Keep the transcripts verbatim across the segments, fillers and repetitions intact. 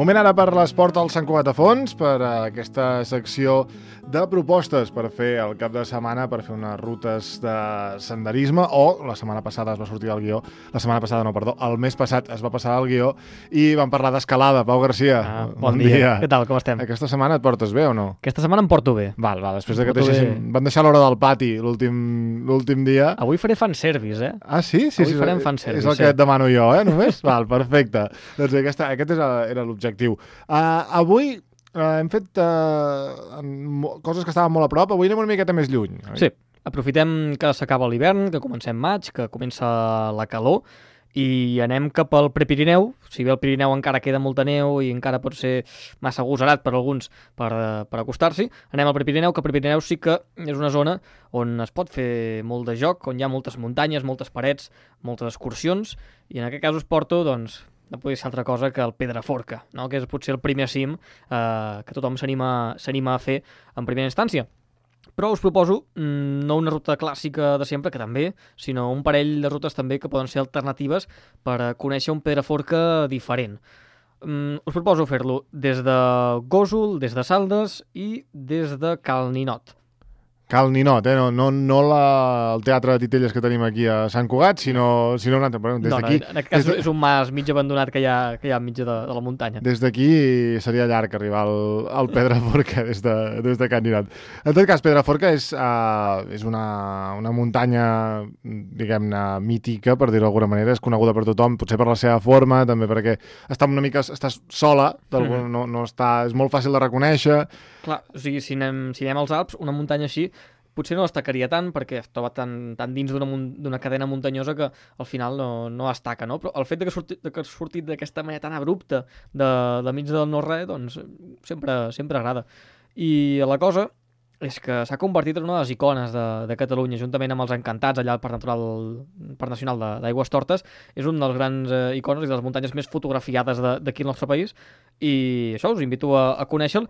Moment ara per l'esport al Sant Cugat a fons, per aquesta secció de propostes per fer el cap de setmana, per fer unes rutes de senderisme, o la setmana passada es va sortir el guió, la setmana passada no, perdó, el mes passat es va passar el guió i vam parlar d'escalada. Pau Garcia, ah, bon, bon dia. dia. Què tal, com estem? Aquesta setmana et portes bé o no? Aquesta setmana em porto bé. Val, val, després de que deixéssim... Van deixar l'hora del pati l'últim dia. Avui faré fanservice, eh? Ah, sí? Sí, Avui sí, farem fanservice. És el que et demano jo, eh, només? Val, perfecte. Doncs aquesta, aquest és, era l'objectiu. Uh, avui uh, hem fet uh, coses que estaven molt a prop, avui anem una miqueta més lluny. Oi? Sí, aprofitem que s'acaba l'hivern, que comencem maig, que comença la calor, i anem cap al Prepirineu. Si bé el Pirineu encara queda molta neu i encara pot ser massa agosarat per alguns per, per acostar-s'hi, anem al Prepirineu, que el Prepirineu sí que és una zona on es pot fer molt de joc, on hi ha moltes muntanyes, moltes parets, moltes excursions, i en aquest cas us porto, doncs, no podria ser altra cosa que el Pedraforca, no? Que és potser el primer cim eh, que tothom s'anima a fer en primera instància. Però us proposo mmm, no una ruta clàssica de sempre, que també, sinó un parell de rutes també que poden ser alternatives per a conèixer un Pedraforca diferent. Mm, us proposo fer-lo des de Gósol, des de Saldes i des de Cal Ninot. Cal Ninot, eh? No, no, no la, el teatre de Titelles que tenim aquí a Sant Cugat, sinó, sinó un altre. Des no, no, en aquest cas de... és un mas mig abandonat que hi ha, que hi ha mitja de, de la muntanya. Des d'aquí seria llarg arribar al, al Pedraforca des de, des de Can Ninot. En tot cas, Pedraforca és, uh, és una, una muntanya, diguem-ne, mítica, per dir-ho d'alguna manera, és coneguda per tothom, potser per la seva forma, també perquè està una mica, estàs sola, mm. no, no està, és molt fàcil de reconèixer. Clar, o sigui, si anem, si anem als Alps, una muntanya així potser no destacaria tant perquè es troba tan, tan dins d'una cadena muntanyosa que al final no, no destaca, no? Però el fet de que, surti, de que has sortit d'aquesta manera tan abrupta de, de mig del no-res, doncs sempre, sempre agrada. I la cosa és que s'ha convertit en una de les icones de, de Catalunya, juntament amb els Encantats, allà al Parc Natural, Parc Nacional d'Aigües Tortes. És un dels grans eh, icones i de les muntanyes més fotografiades d'aquí al nostre país. I això, us invito a, a conèixer-lo.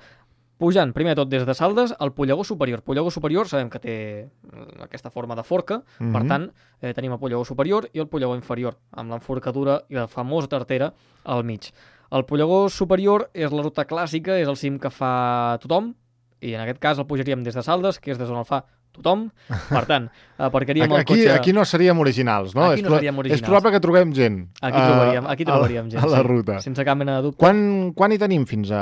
Pujant, primer de tot, des de Saldes, al Pollegó Superior. Pollegó Superior sabem que té aquesta forma de forca, mm-hmm. Per tant, eh, tenim el Pollegó Superior i el Pollegó Inferior, amb l'enforcadura i la famosa tartera al mig. El Pollegó Superior és la ruta clàssica, és el cim que fa tothom, i en aquest cas el pujaríem des de Saldes, que és des on el fa tothom. Per tant, aparcaríem el aquí, cotxe... Aquí no seríem originals, no? Aquí és no seríem originals. És probable que trobem gent. Aquí trobaríem, aquí trobaríem a, gent, a la sí, ruta. Sense cap mena de dubte. Quan, quan hi tenim fins a,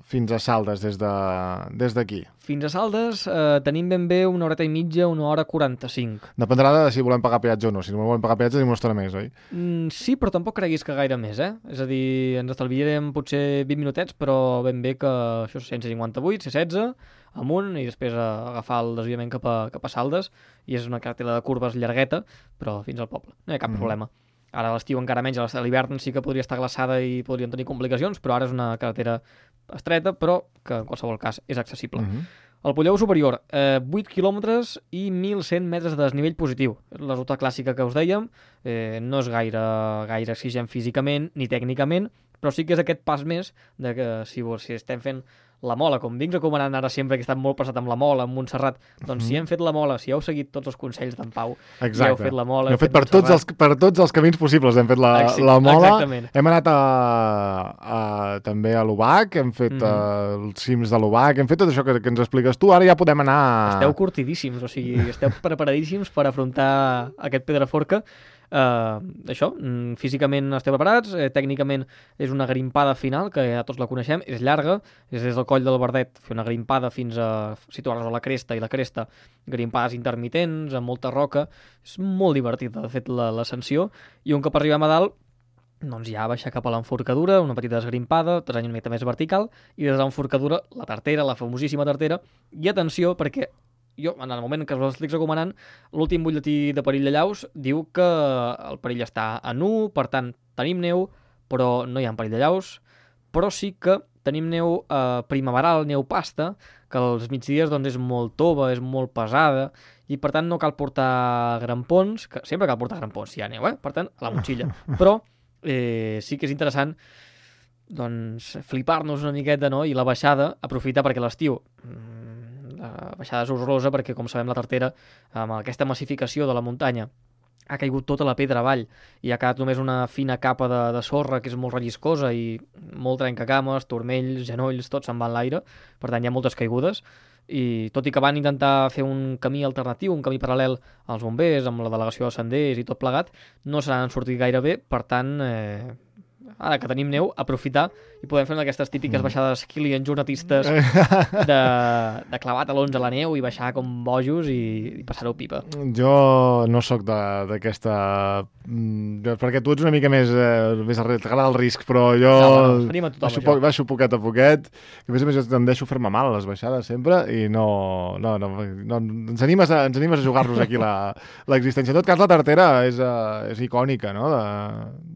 fins a Saldes des d'aquí? De, fins a Saldes eh, tenim ben bé una horeta i mitja, una hora quaranta-cinc. Dependrà de si volem pagar peatge o no. Si no volem pagar peatge tenim una estona més, oi? Mm, sí, però tampoc creguis que gaire més, eh? És a dir, ens estalviarem potser vint minutets, però ben bé que això és cent cinquanta-vuit, C setze, amunt, i després a agafar el desviament cap a, cap a Saldes, i és una carretera de curves llargueta, però fins al poble. No hi ha cap mm. problema. Ara a l'estiu encara menys, a l'hivern sí que podria estar glaçada i podrien tenir complicacions, però ara és una carretera estreta, però que en qualsevol cas és accessible. Mm-hmm. El Pollegó Superior, eh, vuit quilòmetres i mil cent metres de desnivell positiu. La ruta clàssica que us dèiem, eh, no és gaire, gaire exigent físicament ni tècnicament, però sí que és aquest pas més de que si, si estem fent la Mola, com vinc recomanant ara sempre, que he estat molt passat amb la Mola, amb Montserrat, doncs mm-hmm. si hem fet la Mola, si heu seguit tots els consells d'en Pau, exacte. I heu fet la Mola... Heu fet, fet per, tots els, per tots els camins possibles, hem fet la, Exi, la Mola, exactament. Hem anat a, a, també a l'Ubac, hem fet mm-hmm. uh, els cims de l'Ubac, hem fet tot això que, que ens expliques tu, ara ja podem anar... Esteu curtidíssims, o sigui, esteu preparadíssims per afrontar aquest Pedraforca. Uh, això, físicament esteu preparats, eh, tècnicament és una grimpada final, que ja tots la coneixem, és llarga, és des del coll del Verdet, fer una grimpada fins a situar-nos a la cresta, i la cresta, grimpades intermitents, amb molta roca, és molt divertida, de fet, l'ascensió, i un cop arribem a dalt, doncs ja baixar cap a l'enforcadura, una petita desgrimpada, terreny una mica més vertical, i des de l'enforcadura, la tartera, la famosíssima tartera, i atenció, perquè jo, en el moment que us l'estic recomanant, l'últim butlletí de perill de llaus diu que el perill està a nu, per tant, tenim neu, però no hi ha perill de llaus, però sí que tenim neu eh, primaveral, neu pasta, que als migdies doncs, és molt tova, és molt pesada, i per tant no cal portar grampons, que sempre cal portar grampons si hi ha neu, eh? Per tant, a la motxilla. Però eh, sí que és interessant doncs, flipar-nos una miqueta, no? I la baixada, aprofitar perquè l'estiu... La baixada és horrorosa perquè, com sabem, la tartera, amb aquesta massificació de la muntanya ha caigut tota la pedra avall i ha quedat només una fina capa de, de sorra que és molt relliscosa i molt trencacames, turmells, genolls, tot se'n va en l'aire, per tant hi ha moltes caigudes, i tot i que van intentar fer un camí alternatiu, un camí paral·lel als bombers, amb la delegació de senders i tot plegat, no se n'han sortit gaire bé, per tant, eh, ara que tenim neu, aprofitar i podem fer una d'aquestes típiques baixades Kilian jornatistes de, de clavar talons a la neu i baixar com bojos i, i passar-ho pipa. Jo no sóc d'aquesta... Perquè tu ets una mica més... Eh, més t'agrada el risc, però jo no, no, a tothom, baixo, poc, baixo poquet a poquet, que a més a més jo tendeixo a fer-me mal a les baixades sempre i no... no, no, no ens, animes a, ens animes a jugar-nos aquí l'existència. En tot cas, la tartera és, uh, és icònica, no?, de,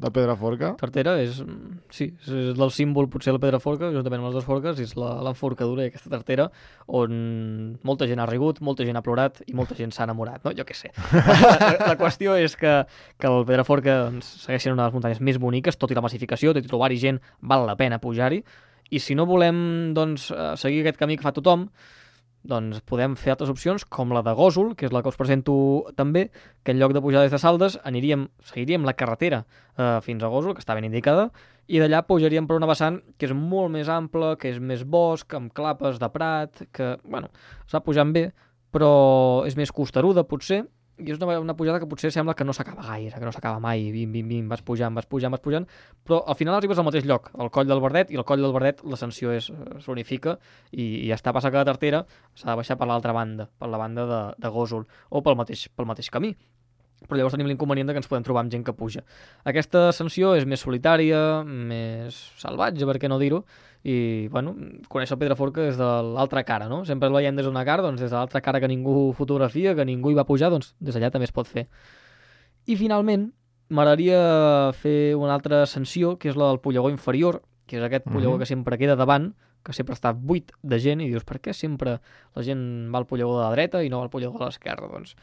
de Pedraforca. Tartera és... Sí, és del símbol potser la Pedraforca, juntament amb les dues forques, és l'enforcadura d'aquesta tartera on molta gent ha rigut, molta gent ha plorat i molta gent s'ha enamorat, no? Jo què sé. La, la qüestió és que, que el Pedraforca doncs, segueix sent una de les muntanyes més boniques, tot i la massificació, tot i trobar-hi gent, val la pena pujar-hi, i si no volem doncs, seguir aquest camí que fa tothom, doncs podem fer altres opcions, com la de Gósol, que és la que us presento també, que en lloc de pujar des de Saldes aniríem, seguiríem la carretera eh, fins a Gósol, que està ben indicada, i d'allà pujaríem per una vessant que és molt més ampla, que és més bosc, amb clapes de prat, que, bueno, es va pujant bé, però és més costeruda, potser, i és una, una pujada que potser sembla que no s'acaba gaire, que no s'acaba mai, bim, bim, bim, vas pujant, vas pujant, vas pujant, però al final arribes al mateix lloc, al Coll del Verdet, i al Coll del Verdet l'ascensió s'unifica i, i ja està, passa que la tartera s'ha de baixar per l'altra banda, per la banda de, de Gósol, o pel mateix, pel mateix camí. Però llavors tenim l'inconvenient que ens podem trobar amb gent que puja. Aquesta ascensió és més solitària, més salvatge, per què no dir-ho, i, bueno, conèixer el Pedraforca des de l'altra cara, no? Sempre el veiem des d'una cara, doncs des de l'altra cara que ningú fotografia, que ningú hi va pujar, doncs des d'allà també es pot fer. I finalment, m'agradaria fer una altra ascensió, que és la del Pollegó Inferior, que és aquest pollegó que sempre queda davant, que sempre està buit de gent, i dius, per què sempre la gent va al pollegó de la dreta i no al pollegó de l'esquerra? Doncs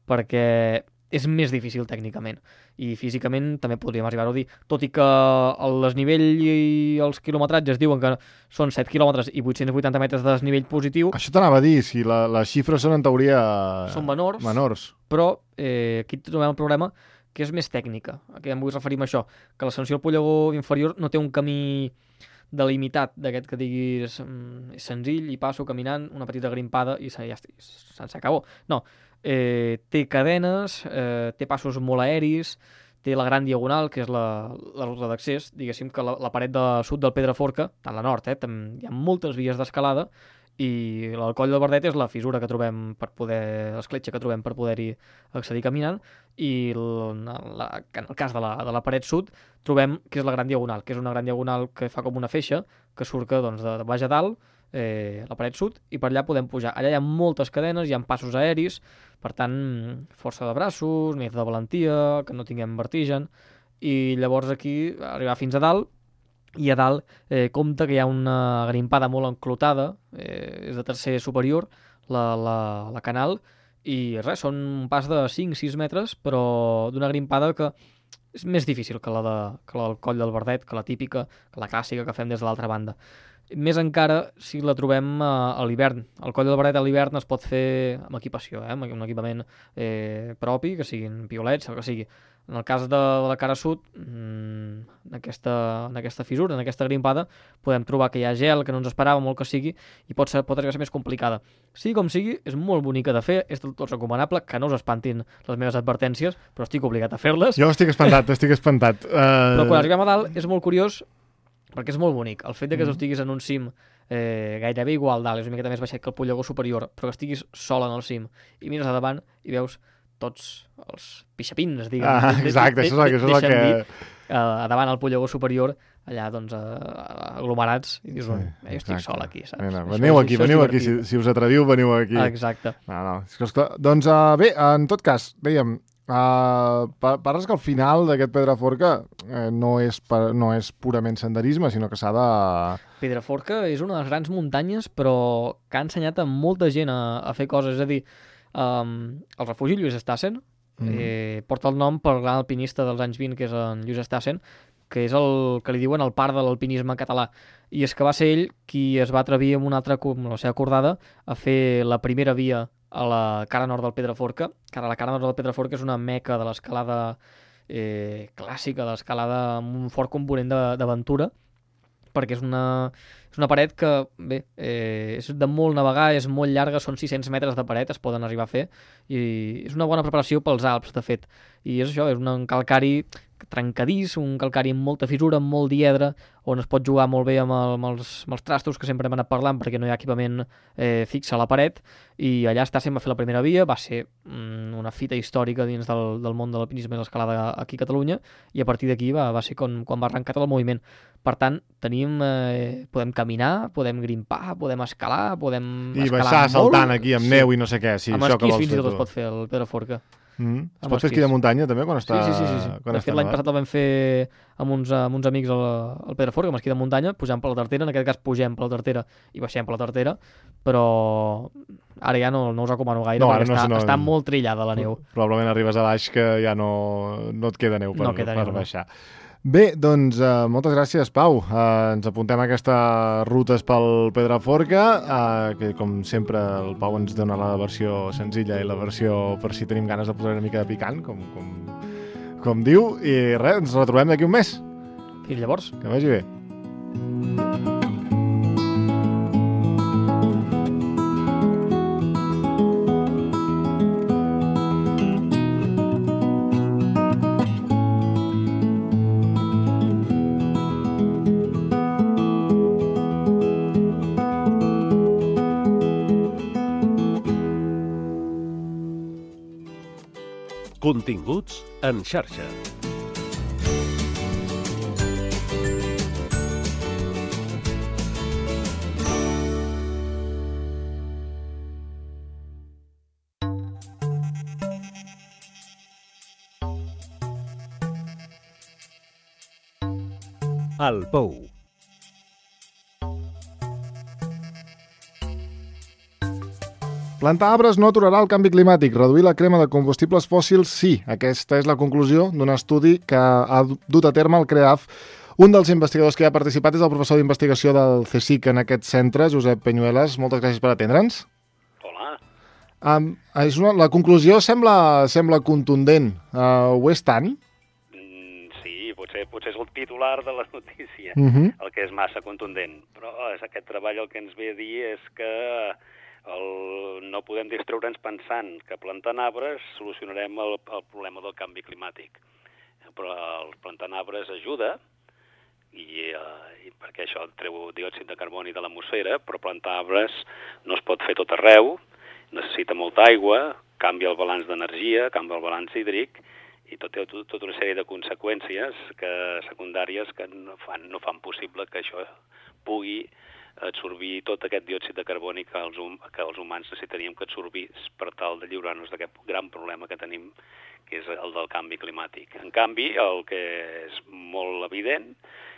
perquè és més difícil tècnicament i físicament també podríem arribar-ho a dir, tot i que el desnivell i els quilometratges diuen que són set quilòmetres i vuit-cents vuitanta metres de desnivell positiu. Això t'anava a dir, si la, les xifres són en teoria són menors, menors. Però eh, aquí trobem el problema que és més tècnica, a què em vull referir amb això, que l'ascensió al pollegó inferior no té un camí delimitat d'aquest que diguis mm, és senzill i passo caminant una petita grimpada i ja està, se'n acabó. No, eh, té cadenes, eh, té passos molt aeris, té la gran diagonal, que és la, la ruta d'accés, diguéssim que la, la paret de sud del Pedraforca, tant la nord, eh, hi ha moltes vies d'escalada, i el Coll del Verdet és la fissura que trobem per poder, l'escletxa que trobem per poder-hi accedir caminant, i el, la, en el cas de la, de la paret sud trobem que és la gran diagonal, que és una gran diagonal que fa com una feixa, que surt doncs, de, de baix a dalt, eh, la paret sud, i per allà podem pujar. Allà hi ha moltes cadenes, hi ha passos aeris, per tant, força de braços, més de valentia, que no tinguem vertigen, i llavors aquí arribar fins a dalt, i a dalt eh, compta que hi ha una grimpada molt enclotada, eh, és de tercer superior, la, la, la canal, i res, són un pas de cinc sis metres, però d'una grimpada que és més difícil que la, de, que la del Coll del Verdet, que la típica, que la clàssica que fem des de l'altra banda. Més encara si la trobem a, a l'hivern. El Coll del Verdet a l'hivern es pot fer amb equipació, eh? amb un equipament eh, propi, que siguin piolets, el que sigui. En el cas de, de la cara sud, mmm, en, aquesta, en aquesta fissura, en aquesta grimpada, podem trobar que hi ha gel, que no ens esperàvem, molt que sigui, i pot, ser, pot arribar a ser més complicada. Sigui com sigui, és molt bonica de fer, és del tot recomanable, que no us espantin les meves advertències, però estic obligat a fer-les. Jo estic espantat, estic espantat. Uh... Però quan arribem a dalt és molt curiós, perquè és molt bonic. El fet de que mm. estiguis en un cim eh, gairebé igual dalt, és una miqueta més baixet que el pollegó superior, però que estiguis sol en el cim, i mires a davant i veus tots els pixapins, diguem. Ah, exacte, això és el que... Dir, uh, a davant al pollegó superior, allà, doncs, uh, aglomerats, i dius, sí, jo estic sol aquí, saps? Mira, veniu aquí, veniu aquí, si, si us atreviu, veniu aquí. Exacte. No, no, és que, esclar, doncs, uh, bé, en tot cas, dèiem, uh, parles que al final d'aquest Pedraforca eh, no, és, no és purament senderisme, sinó que s'ha de... Pedraforca és una de les grans muntanyes, però que ha ensenyat a molta gent a, a fer coses, és a dir, Um, el refugi Lluís Estassen mm. eh, porta el nom pel gran alpinista dels anys vint, que és en Lluís Estassen, que és el que li diuen el pare de l'alpinisme català, i és que va ser ell qui es va atrevir amb una altra, amb la seva acordada, a fer la primera via a la cara nord del Pedraforca, que ara la cara nord del Pedraforca és una meca de l'escalada eh, clàssica, de l'escalada amb un fort component de- d'aventura, perquè és una, és una paret que, bé, eh, és de molt navegar, és molt llarga, són sis-cents metres de paret, es poden arribar a fer, i és una bona preparació pels Alps, de fet. I és això, és un calcari trencadís, un calcari amb molta fissura, amb molt diedre, on es pot jugar molt bé amb, el, amb, els, amb els trastos que sempre hem anat parlant, perquè no hi ha equipament eh, fix a la paret, i allà està sent va fer la primera via, va ser mm, una fita històrica dins del, del món de l'alpinisme i l'escalada aquí a Catalunya, i a partir d'aquí va, va ser quan, quan va arrencar tot el moviment. Per tant, tenim, eh, podem caminar, podem grimpar, podem escalar, podem I escalar baixar molt. saltant aquí amb Sí. neu i no sé què. Sí, Amb això que esquís vols fins i fer tot es tu. pot fer el Pedraforca. Mm. Es amb pot fer esquí esquís. de muntanya també quan està... Sí, sí, sí, sí. Quan De està fet, l'any nevat? passat el vam fer amb uns, amb uns amics al, al Pedraforca, amb esquí de muntanya, pujant per la Tartera, en aquest cas pugem per la Tartera i baixem per la Tartera, però ara ja no, no us recomano gaire, No, perquè ara no està, sé, no- està molt trillada la neu. Probablement arribes a baix que ja no, no et queda neu per, No queda per neu, no. baixar. Bé, doncs uh, moltes gràcies, Pau. Uh, ens apuntem a aquestes rutes pel Pedraforca, uh, que com sempre el Pau ens dona la versió senzilla i la versió per si tenim ganes de posar una mica de picant, com, com, com diu. I res, ens retrobem d'aquí un mes. Fins llavors. Que vagi bé. Continguts en xarxa. El Pou. Plantar arbres no aturarà el canvi climàtic. Reduir la crema de combustibles fòssils, sí. Aquesta és la conclusió d'un estudi que ha dut a terme el CREAF. Un dels investigadors que hi ha participat és el professor d'investigació del CSIC en aquest centre, Josep Peñuelas. Moltes gràcies per atendre'ns. Hola. Um, és una, la conclusió sembla, sembla contundent. Uh, ho és tant? Mm, sí, potser, potser és el titular de la notícia, Uh -huh. el que és massa contundent. Però és aquest treball el que ens ve a dir és que el, no podem distreure'ns pensant que plantant arbres solucionarem el, el problema del canvi climàtic. Però el plantant arbres ajuda, i, eh, i perquè això treu diòxid de carboni de l'atmosfera, però plantar arbres no es pot fer tot arreu, necessita molta aigua, canvia el balanç d'energia, canvia el balanç hídric, i tot, tot, tota una sèrie de conseqüències que, secundàries que no fan, no fan possible que això pugui absorbir tot aquest diòxid de carboni que els, hum, que els humans necessitaríem que absorbís per tal de lliurar-nos d'aquest gran problema que tenim, que és el del canvi climàtic. En canvi, el que és molt evident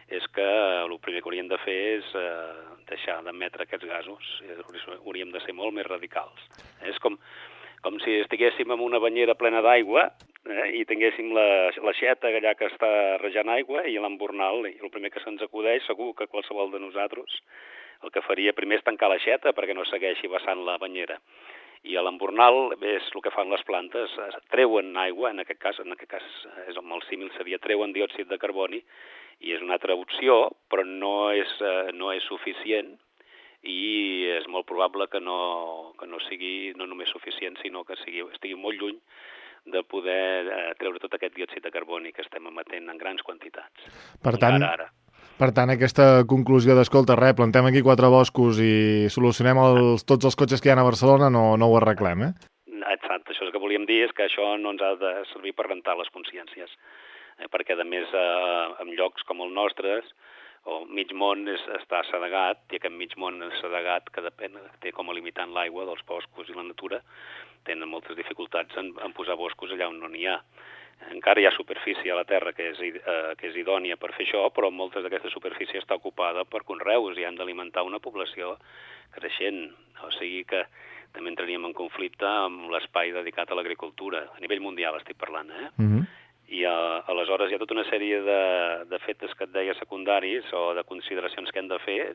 és que el primer que hauríem de fer és eh, deixar d'emetre aquests gasos. Hauríem de ser molt més radicals. És com, com si estiguéssim en una banyera plena d'aigua eh, i tinguéssim la, l'aixeta allà que està rejant aigua i l'embornal, i el primer que se'ns acudeix, segur que qualsevol de nosaltres el que faria primer és tancar l'aixeta perquè no segueixi vessant la banyera. I a l'embornal és el que fan les plantes, treuen aigua, en aquest cas, en aquest cas és amb el símil seria treuen diòxid de carboni, i és una altra opció, però no és, eh, no és suficient, i és molt probable que no, que no sigui no només suficient, sinó que sigui, estigui molt lluny de poder eh, treure tot aquest diòxid de carboni que estem emetent en grans quantitats. Per tant, Encara ara. per tant, aquesta conclusió d'escolta, res, plantem aquí quatre boscos i solucionem els, tots els cotxes que hi ha a Barcelona, no, no ho arreglem, eh? Exacte, això és el que volíem dir, és que això no ens ha de servir per rentar les consciències, eh, perquè a més eh, en llocs com el nostre, o mig món és, està assedegat, i aquest mig món assedegat que depèn, té com a limitant l'aigua dels boscos i la natura, tenen moltes dificultats en, en posar boscos allà on no n'hi ha. Encara hi ha superfície a la Terra que és, eh, que és idònia per fer això, però moltes d'aquesta superfície està ocupada per conreus i han d'alimentar una població creixent. O sigui que també entraríem en conflicte amb l'espai dedicat a l'agricultura. A nivell mundial estic parlant, eh? Uh -huh. I uh, aleshores hi ha tota una sèrie de, de fets que et deia secundaris o de consideracions que hem de fer,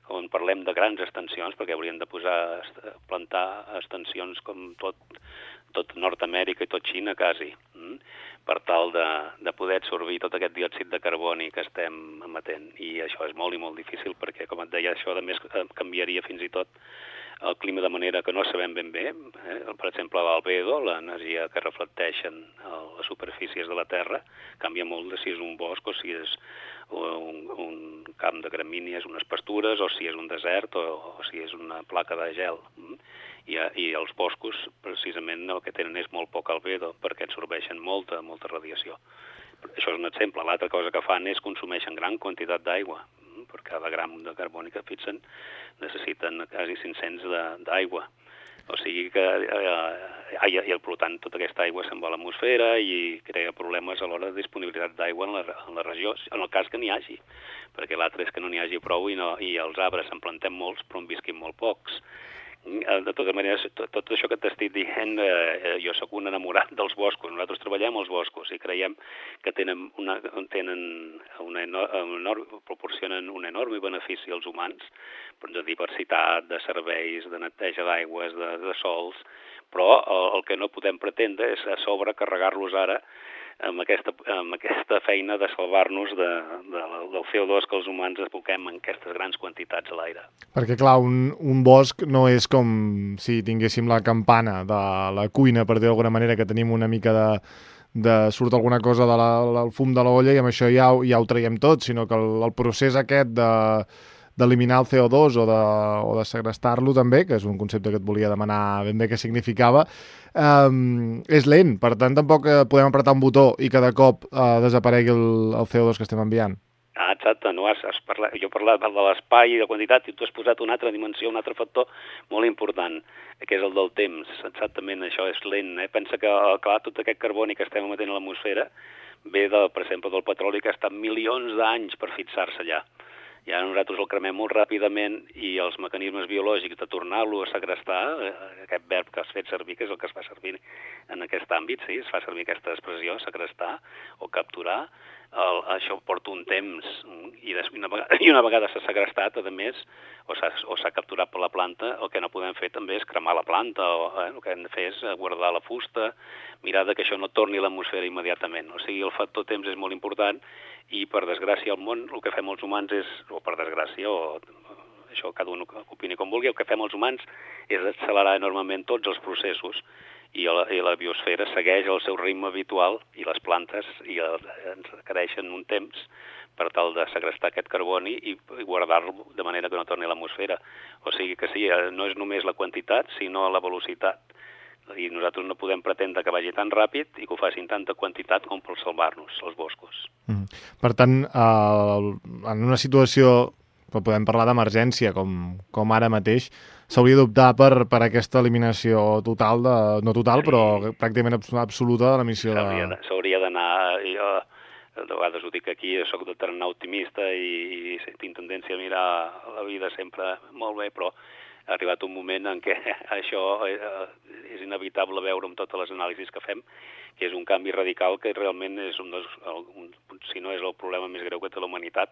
quan parlem de grans extensions, perquè haurien de posar, plantar extensions com tot, tot Nord-Amèrica i tot Xina, quasi, mm? per tal de, de poder absorbir tot aquest diòxid de carboni que estem emetent. I això és molt i molt difícil perquè, com et deia, això a més canviaria fins i tot el clima de manera que no sabem ben bé. Eh? Per exemple, l'albedo, l'energia que reflecteixen les superfícies de la Terra, canvia molt de si és un bosc o si és un, un camp de gramínies, unes pastures, o si és un desert o, o si és una placa de gel. I, I els boscos, precisament, el que tenen és molt poc albedo, perquè absorbeixen molta, molta radiació. Això és un exemple. L'altra cosa que fan és consumeixen gran quantitat d'aigua. Per cada gram de carboni que fixen necessiten quasi cinc-cents d'aigua. O sigui que, eh, i, i per tant, tota aquesta aigua se'n va a l'atmosfera i crea problemes a l'hora de disponibilitat d'aigua en, la, en la regió, en el cas que n'hi hagi, perquè l'altre és que no n'hi hagi prou i, no, i els arbres en plantem molts però en visquin molt pocs. De totes maneres, tot, tot això que t'estic dient, eh, jo sóc un enamorat dels boscos. Nosaltres treballem als boscos i creiem que tenen una, tenen una enorme, proporcionen un enorme benefici als humans, de diversitat, de serveis, de neteja d'aigües, de, de sols, però el, el que no podem pretendre és a sobre carregar-los ara amb aquesta, amb aquesta feina de salvar-nos de, de, del C O dos que els humans aboquem en aquestes grans quantitats a l'aire. Perquè, clar, un, un bosc no és com si tinguéssim la campana de la cuina, per dir d'alguna manera, que tenim una mica de, de surt alguna cosa de la, del fum de l'olla i amb això ja, ja ho traiem tot, sinó que el, el procés aquest de d'eliminar el C O dos o de, o de segrestar-lo també, que és un concepte que et volia demanar ben bé què significava, um, és lent. Per tant, tampoc podem apretar un botó i cada cop uh, desaparegui el, el C O dos que estem enviant. Ah, exacte. No has, has parlat, jo he parlat de l'espai i de quantitat i tu has posat una altra dimensió, un altre factor molt important, que és el del temps. Exactament, això és lent. Eh? Pensa que, clar, tot aquest carboni que estem emetent a l'atmosfera ve, de, per exemple, del petroli que ha estat milions d'anys per fixar-se allà. I ara nosaltres el cremem molt ràpidament i els mecanismes biològics de tornar-lo a segrestar, aquest verb que has fet servir, que és el que es fa servir en aquest àmbit, sí, es fa servir aquesta expressió, segrestar o capturar, el, això porta un temps i, des, una, vegada, i una vegada s'ha segrestat, a més, o s'ha capturat per la planta, el que no podem fer també és cremar la planta, o eh, el que hem de fer és guardar la fusta, mirar que això no torni a l'atmosfera immediatament. O sigui, el factor temps és molt important i, per desgràcia, al món el que fem els humans és, o per desgràcia, o això cada un opini com vulgui, el que fem els humans és accelerar enormement tots els processos i la, i la biosfera segueix el seu ritme habitual i les plantes i el, ens requereixen un temps per tal de segrestar aquest carboni i, i guardar-lo de manera que no torni a l'atmosfera. O sigui que sí, no és només la quantitat, sinó la velocitat. I nosaltres no podem pretendre que vagi tan ràpid i que ho facin tanta quantitat com per salvar-nos, els boscos. Mm. Per tant, eh, en una situació, podem parlar d'emergència, com, com ara mateix, s'hauria d'optar per, per aquesta eliminació total, de, no total, sí, però pràcticament absoluta de l'emissió de... S'hauria d'anar... Jo de vegades ho dic aquí, jo soc de tarannà optimista i, i tinc tendència a mirar la vida sempre molt bé, però ha arribat un moment en què això és inevitable veure amb totes les anàlisis que fem, que és un canvi radical que realment és un dels, un, si no és el problema més greu que té la humanitat,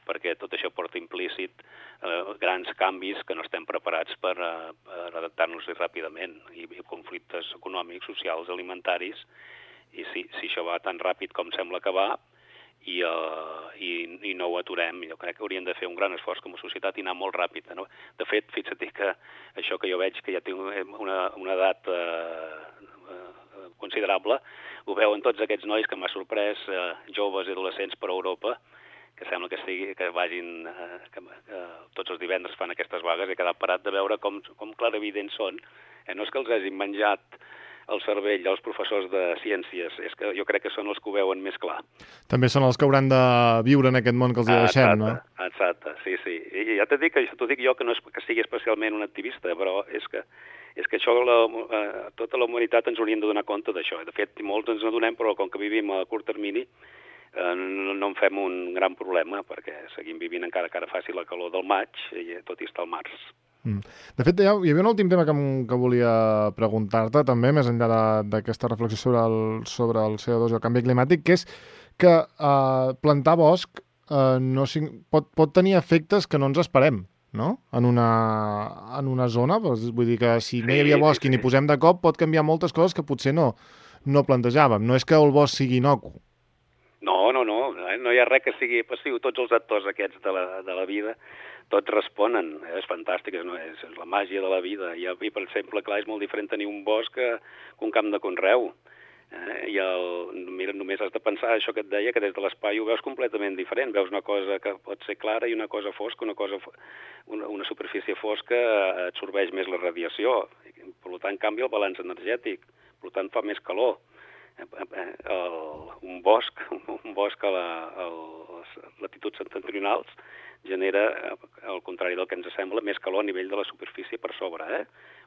perquè tot això porta implícit eh, grans canvis que no estem preparats per, eh, per adaptar-nos ràpidament, i, i conflictes econòmics, socials, alimentaris, i si, si això va tan ràpid com sembla que va, i, uh, i, i no ho aturem, jo crec que hauríem de fer un gran esforç com a societat i anar molt ràpid. No? De fet, fixa't que això que jo veig, que ja tinc una, una edat uh, uh, considerable, ho veuen tots aquests nois que m'ha sorprès, uh, joves i adolescents per Europa, que sembla que, sigui, que vagin, uh, que, que tots els divendres fan aquestes vagues, he quedat parat de veure com, com clarividents són. Eh, no és que els hagin menjat el cervell als professors de ciències, és que jo crec que són els que ho veuen més clar. També són els que hauran de viure en aquest món que els hi deixem, exacte, no? Exacte, sí, sí. I ja t'he dit que t'ho dic jo, que no és que sigui especialment un activista, però és que, és que això, la, eh, tota la humanitat ens hauríem de donar compte d'això. De fet, molts ens n'adonem, però com que vivim a curt termini, eh, no, no en fem un gran problema, perquè seguim vivint encara que ara faci la calor del maig, i tot i està al març. Mm. De fet, hi havia un últim tema que, que volia preguntar-te també, més enllà d'aquesta reflexió sobre el, sobre el C O dos i el canvi climàtic, que és que eh, plantar bosc eh, no, pot, pot tenir efectes que no ens esperem, no? En una, en una zona. Vull dir que si no hi havia bosc sí, sí, i n'hi posem de cop, pot canviar moltes coses que potser no, no plantejàvem. No és que el bosc sigui inocu. No, no, no. No hi ha res que sigui passiu. Tots els actors aquests de la, de la vida tots responen, eh? És fantàstic, és, és, és la màgia de la vida. I, i, per exemple, clar, és molt diferent tenir un bosc que, que un camp de conreu. Eh? I el, mira, només has de pensar això que et deia, que des de l'espai ho veus completament diferent. Veus una cosa que pot ser clara i una cosa fosca, una, cosa, una, una superfície fosca absorbeix més la radiació. Per tant, canvia el balanç energètic, per tant, fa més calor. El, un bosc, un bosc a, la, a les latituds septentrionals genera, al contrari del que ens sembla, més calor a nivell de la superfície per sobre. Eh?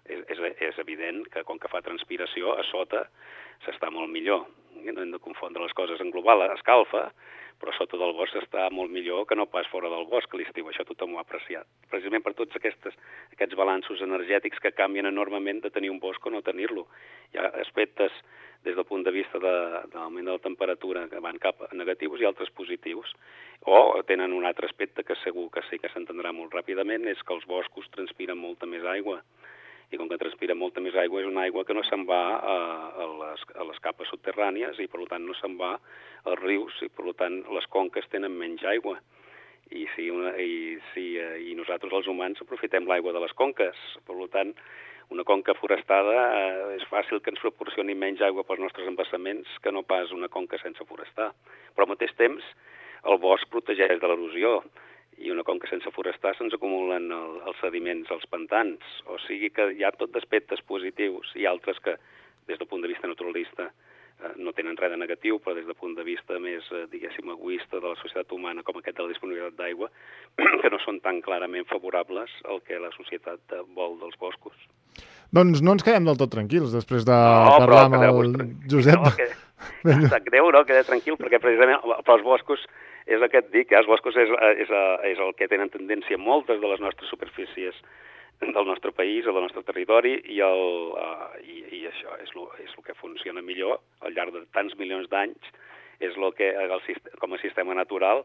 És, és, és evident que, com que fa transpiració, a sota s'està molt millor. No hem de confondre les coses en global. Escalfa, però sota del bosc està molt millor que no pas fora del bosc a l'estiu. Això tothom ho ha apreciat. Precisament per tots aquestes, aquests balanços energètics que canvien enormement de tenir un bosc o no tenir-lo. Hi ha aspectes des del punt de vista de, de l'augment de la temperatura que van cap a negatius i altres positius. O tenen un altre aspecte que segur que sí que s'entendrà molt ràpidament, és que els boscos transpiren molta més aigua. I com que transpira molta més aigua, és una aigua que no se'n va a, a, les, a les capes subterrànies i, per tant, no se'n va als rius i, per tant, les conques tenen menys aigua. I, si una, i, si, i nosaltres, els humans, aprofitem l'aigua de les conques. Per tant, una conca forestada eh, és fàcil que ens proporcioni menys aigua pels nostres embassaments que no pas una conca sense forestar. Però al mateix temps, el bosc protegeix de l'erosió. I una conca sense forestar se'ns acumulen el, els sediments als pantans. O sigui que hi ha tot d'aspectes positius i altres que, des del punt de vista naturalista, eh, no tenen res de negatiu, però des del punt de vista més, eh, diguéssim, egoista de la societat humana, com aquest de la disponibilitat d'aigua, que no són tan clarament favorables al que la societat vol dels boscos. Doncs no ens quedem del tot tranquils després de no, parlar amb el Josep. No, que, sap greu, no? Queda tranquil, perquè precisament pels boscos és el que et dic, eh? Els boscos és, és, és el que tenen tendència moltes de les nostres superfícies del nostre país, del nostre territori, i, el, uh, i, i això és el, és el que funciona millor al llarg de tants milions d'anys, és el que, el, com a sistema natural,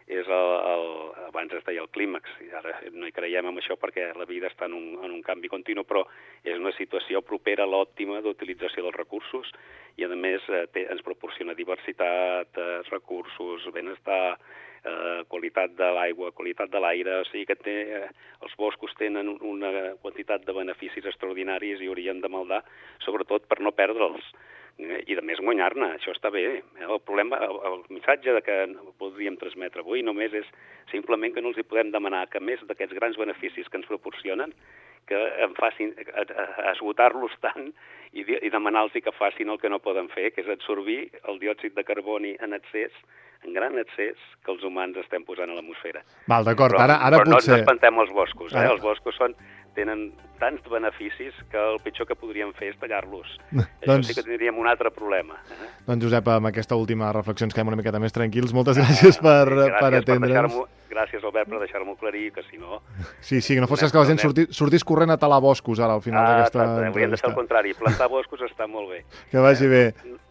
és el, el, abans es deia el clímax, i ara no hi creiem en això perquè la vida està en un, en un canvi continu, però és una situació propera a l'òptima d'utilització dels recursos i, a més, eh, té, ens proporciona diversitat, eh, recursos, benestar, eh, qualitat de l'aigua, qualitat de l'aire, o sigui que té, eh, els boscos tenen una quantitat de beneficis extraordinaris i haurien de maldar, sobretot per no perdre'ls. I, a més, guanyar-ne. Això està bé. El problema, el, el missatge de que podríem transmetre avui només és simplement que no els hi podem demanar que, més d'aquests grans beneficis que ens proporcionen, que en facin, a, a, a esgotar-los tant i, i demanar-los que facin el que no poden fer, que és absorbir el diòxid de carboni en excés, en gran excés, que els humans estem posant a l'atmosfera. Val, d'acord. Ara, ara però potser... no ens espantem els boscos. Eh? Els boscos són... tenen tants beneficis que el pitjor que podríem fer és tallar-los. Això doncs... sí que tindríem un altre problema. Eh? Doncs, Josep, amb aquesta última reflexió ens quedem una miqueta més tranquils. Moltes gràcies per, gràcies per atendre'ns. Per gràcies, Albert, per deixar-m'ho aclarir, que si no... Sí, sí, que no fos que la gent sortís, sortís corrent a talar boscos ara, al final ah, d'aquesta entrevista. Hauríem de fer el contrari. Plantar boscos està molt bé. Que vagi bé.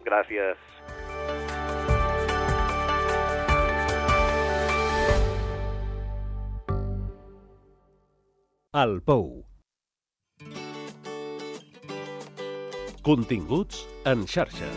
Gràcies. El Pou. Continguts en xarxa.